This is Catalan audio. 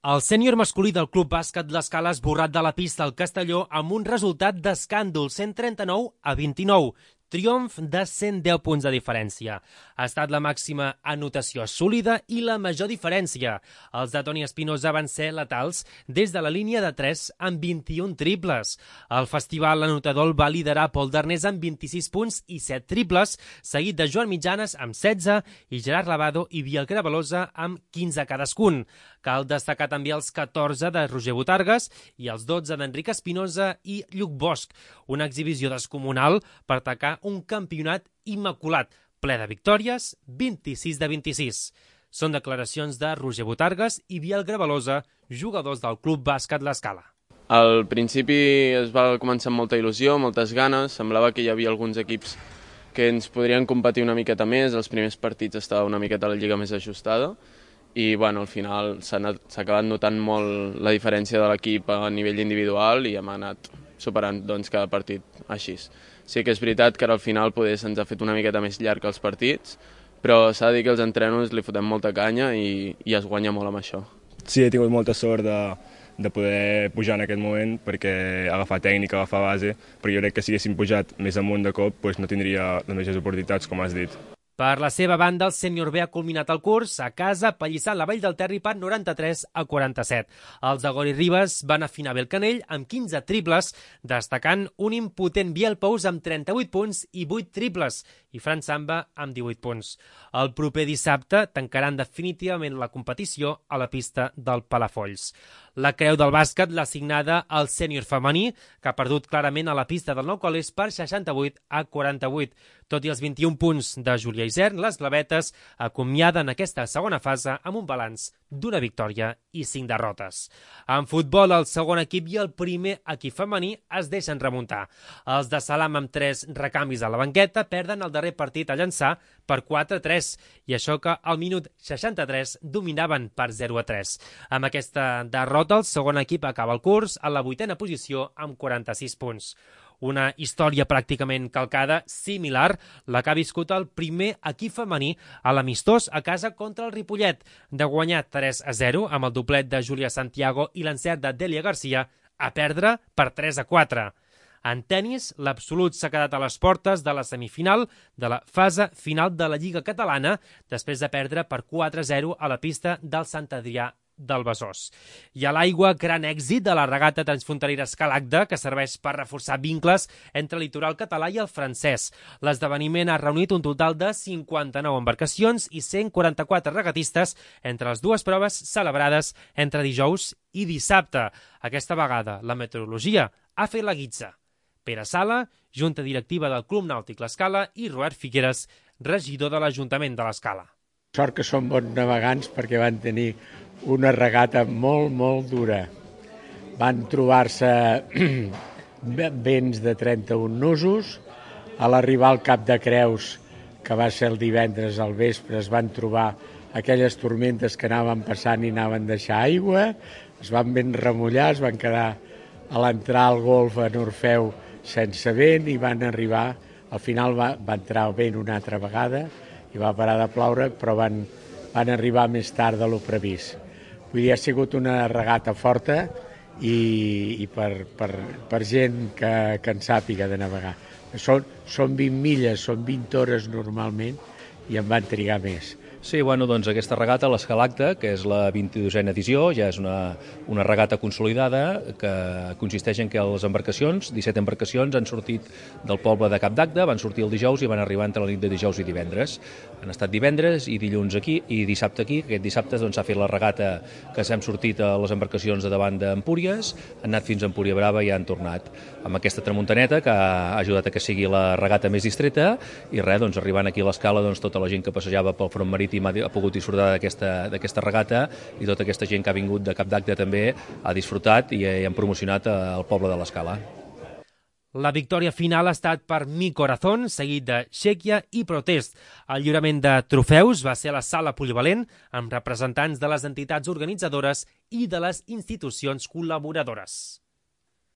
El sènior masculí del Club Bàsquet L'Escala ha esborrat de la pista al Castelló amb un resultat d'escàndol, 139-29. Triomf de 110 punts de diferència. Ha estat la màxima anotació assolida i la major diferència. Els de Toni Espinosa van ser letals des de la línia de 3 amb 21 triples. El festival anotador el va liderar Pol Darnés amb 26 punts i 7 triples, seguit de Joan Mitjanes amb 16 i Gerard Lavado i Biel Cravalosa amb 15 cadascun. Cal destacar també els 14 de Roger Botargues i els 12 d'Enric Espinosa i Lluc Bosch. Una exhibició descomunal per atacar un campionat immaculat, ple de victòries, 26 de 26. Són declaracions de Roger Botargues i Biel Cravalosa, jugadors del Club Bàsquet L'Escala. Al principi es va començar amb molta il·lusió, moltes ganes, semblava que hi havia alguns equips que ens podrien competir una miqueta més, els primers partits estava una miqueta la lliga més ajustada i al final s'ha acabat notant molt la diferència de l'equip a nivell individual i hem anat superant cada partit així. Sí que és veritat que ara al final se'ns ha fet una miqueta més llarg els partits, però s'ha de dir que els entrenos li fotem molta canya i es guanya molt amb això. Sí, he tingut molta sort de poder pujar en aquest moment perquè agafar tècnica, agafar base, però jo crec que si haguéssim pujat més amunt de cop no tindria les mateixes oportunitats, com has dit. Per la seva banda, el sènior B ha culminat el curs a casa pallissant la Vall del Terri per 93-47. Els de Gori Ribes van afinar bé el canell amb 15 triples, destacant un impotent Biel Pous amb 38 punts i 8 triples i Fran Samba amb 18 punts. El proper dissabte tancaran definitivament la competició a la pista del Palafolls. La creu del bàsquet l'ha assignada al sènior femení, que ha perdut clarament a la pista del Nou Colés per 68-48. Tot i els 21 punts de Júlia Isern, les blavetes acomiaden aquesta segona fase amb un balanç d'una victòria i 5 derrotes. En futbol, el segon equip i el primer equip femení es deixen remuntar. Els de Salam, amb 3 recanvis a la banqueta, perden el darrer partit a Llançà per 4-3, i això que al minut 63 dominaven per 0-3. Amb aquesta derrota, el segon equip acaba el curs a la 8a posició amb 46 punts. Una història pràcticament calcada, similar, la que ha viscut el primer equip femení a l'amistós a casa contra el Ripollet, de guanyar 3-0 amb el doblet de Júlia Santiago i l'encert de Dèlia Garcia, a perdre per 3-4. En tennis, l'Absolut s'ha quedat a les portes de la semifinal de la fase final de la Lliga Catalana després de perdre per 4-0 a la pista del Sant Adrià del Besòs. I a l'aigua, gran èxit de la regata transfronterera Escalagda, que serveix per reforçar vincles entre el litoral català i el francès. L'esdeveniment ha reunit un total de 59 embarcacions i 144 regatistes entre les dues proves celebrades entre dijous i dissabte. Aquesta vegada, la meteorologia ha fet la guitza. Pere Sala, junta directiva del Club Nàutic L'Escala, i Robert Figueres, regidor de l'Ajuntament de l'Escala. Sort que són bons navegants perquè van tenir una regata molt dura. Van trobar-se vents de 31 nusos. A l'arribar al Cap de Creus, que va ser el divendres al vespre, es van trobar aquelles tormentes que anaven passant i anaven deixar aigua. Es van ben remullar, es van quedar a l'entrar al golf a Orfeu sense vent i van arribar, al final va entrar el vent una altra vegada i va parar de ploure, però van arribar més tard de lo previst. Vull dir, ha sigut una regata forta i per gent que en sàpiga de navegar. Són 20 milles, són 20 hores normalment i en van trigar més. Sí, doncs aquesta regata, l'Escalagda, que és la 22a edició, ja és una regata consolidada que consisteix en que les embarcacions, 17 embarcacions, han sortit del poble de Cap d'Agde, van sortir el dijous i van arribar entre la nit de dijous i divendres. Han estat divendres i dilluns aquí i dissabte aquí. Aquest dissabte s'ha fet la regata que s'hem sortit a les embarcacions de davant d'Empúries, han anat fins a Empúria Brava i han tornat. Amb aquesta tramuntaneta que ha ajudat a que sigui la regata més distreta i arribant aquí a l'Escala, tota la gent que passejava pel front marítim ha pogut disfrutar d'aquesta regata i tota aquesta gent que ha vingut de Cap d'Agde també ha disfrutat i han promocionat el poble de l'Escala. La victòria final ha estat per Mi Corazón, seguit de Xèquia i Protest. El lliurament de trofeus va ser a la sala polivalent amb representants de les entitats organitzadores i de les institucions col·laboradores.